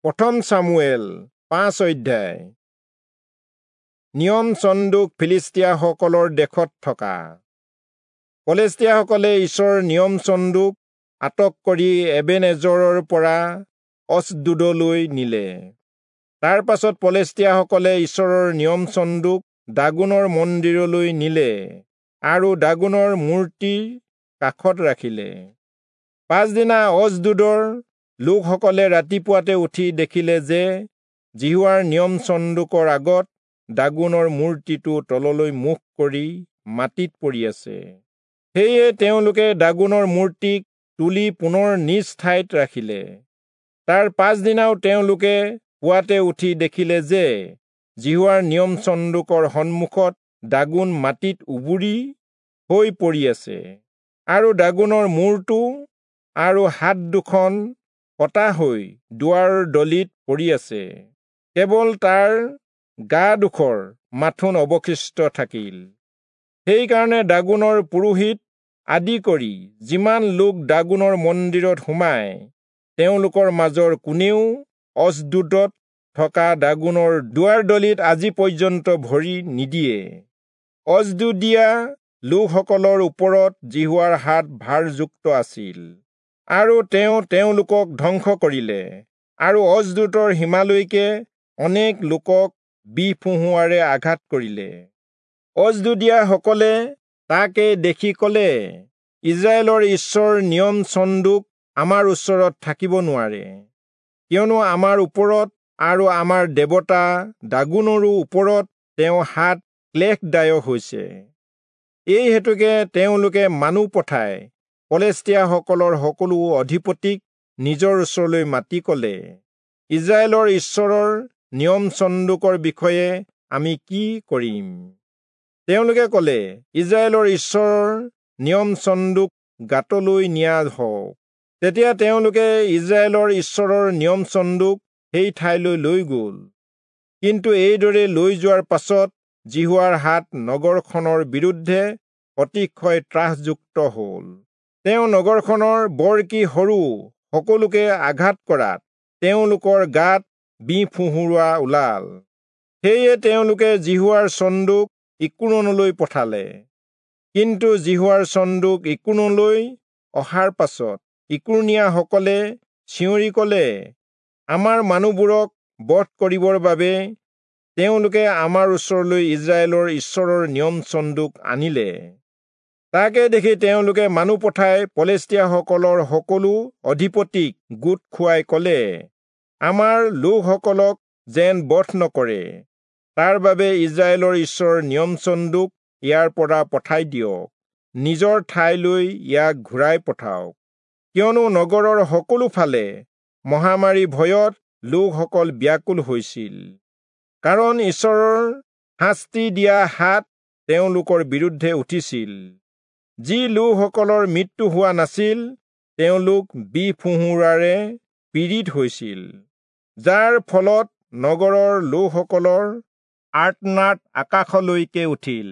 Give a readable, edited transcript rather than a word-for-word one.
প্ৰথম চামুৱেল 5 অধ্যায়। নিয়ম চন্দুক ফিলিস্তীয়াসকলৰ দেশত থকা। পলেষ্টীয়াসকলে ঈশ্বৰৰ নিয়ম চন্দুক আটক কৰি এবেনেজৰৰ পৰা অচদোদলৈ নিলে। তাৰ পাছত পলেষ্টীয়াসকলে ঈশ্বৰৰ নিয়ম চন্দুক দাগোনৰ মন্দিৰলৈ নিলে আৰু দাগোনৰ মূৰ্তিৰ কাষত ৰাখিলে। পাছদিনা অচদোদৰ লোকসকলে ৰাতিপুৱাতে উঠি দেখিলে যে যিহোৱাৰ নিয়ম চন্দুকৰ আগত দাগোনৰ মূৰ্তিটো তললৈ মুখ কৰি মাটিত পৰি আছে। সেয়ে তেওঁলোকে দাগোনৰ মূৰ্তিক তুলি পুনৰ নিজ ঠাইত ৰাখিলে। তাৰ পাছদিনাও তেওঁলোকে পুৱাতে উঠি দেখিলে যে যিহোৱাৰ নিয়ম চন্দুকৰ সন্মুখত দাগোন মাটিত উবুৰি হৈ পৰি আছে আৰু দাগোনৰ মূৰটো আৰু হাত দুখন কটা হৈ দুৱাৰৰ দলিত পৰি আছে। কেৱল তাৰ গা ডোখৰ মাথোন অৱশিষ্ট থাকিল। সেইকাৰণে দাগোনৰ পুৰোহিত আদি কৰি যিমান লোক দাগোনৰ মন্দিৰত সোমায়, তেওঁলোকৰ মাজৰ কোনেও অচদোদত থকা দাগোনৰ দুৱাৰ দলিত আজি পৰ্যন্ত ভৰি নিদিয়ে। অচদোদীয়া লোকসকলৰ ওপৰত যিহোৱাৰ হাত ভাৰযুক্ত আছিল আৰু তেওঁ তেওঁলোকক ধ্বংস কৰিলে আৰু অচদোদৰ সীমালৈকে অনেক লোকক বিহ ফোঁহোৱাৰে আঘাত কৰিলে। অচদোদীয়াসকলে তাকে দেখি কলে, ইজৰাইলৰ ঈশ্বৰ নিয়ম চন্দুক আমাৰ ওচৰত থাকিব নোৱাৰে, কিয়নো আমাৰ ওপৰত আৰু আমাৰ দেৱতা দাগোনৰো ওপৰত তেওঁ হাত ক্লেশদায়ক হৈছে। এই হেতুকে তেওঁলোকে মানুহ পঠাই পলেষ্টীয়াসকলৰ সকলো অধিপতিক নিজৰ ওচৰলৈ মাতি কলে, ইজৰাইলৰ ঈশ্বৰৰ নিয়ম চন্দুকৰ বিষয়ে আমি কি কৰিম? তেওঁলোকে কলে, ইজৰাইলৰ ঈশ্বৰৰ নিয়ম চন্দুক গাতলৈ নিয়া হওক। তেতিয়া তেওঁলোকে ইজৰাইলৰ ঈশ্বৰৰ নিয়ম চন্দুক সেই ঠাইলৈ লৈ গল। কিন্তু এইদৰে লৈ যোৱাৰ পাছত যিহোৱাৰ হাত নগৰখনৰ বিৰুদ্ধে অতিশয় ত্ৰাসযুক্ত হল। তেওঁ নগৰখনৰ বৰ কি সৰু সকলোকে আঘাত কৰাত তেওঁলোকৰ গাত বিহ ফোঁহোৰা ওলাল। সেয়ে তেওঁলোকে যিহোৱাৰ চন্দুক ইকোৰণলৈ পঠালে। কিন্তু যিহোৱাৰ চন্দুক ইকোৰণলৈ অহাৰ পাছত ইকোৰণীয়াসকলে চিঞৰি কলে, আমাৰ মানুহবোৰক বধ কৰিবৰ বাবে তেওঁলোকে আমাৰ ওচৰলৈ ইজৰাইলৰ ঈশ্বৰৰ নিয়ম চন্দুক আনিলে। তাকে দেখি তেওঁলোকে মানুহ পঠাই পলেষ্টীয়াসকলৰ সকলো অধিপতিক গোট খুৱাই কলে, আমাৰ লোকসকলক যেন বধ নকৰে, তাৰ বাবে ইজৰাইলৰ ঈশ্বৰৰ নিয়ম চন্দুক ইয়াৰ পৰা পঠাই দিয়ক, নিজৰ ঠাইলৈ ইয়াক ঘূৰাই পঠাওক। কিয়নো নগৰৰ সকলো ফালে মহামাৰী ভয়ত লোকসকল ব্যাকুল হৈছিল, কাৰণ ঈশ্বৰৰ শাস্তি দিয়া হাত তেওঁলোকৰ বিৰুদ্ধে উঠিছিল। যি লোকসকলৰ মৃত্যু হোৱা নাছিল, তেওঁলোক বিহ ফোঁহোৰাৰে পীড়িত হৈছিল, যাৰ ফলত নগৰৰ লোকসকলৰ আৰ্তনাদ আকাশলৈকে উঠিল।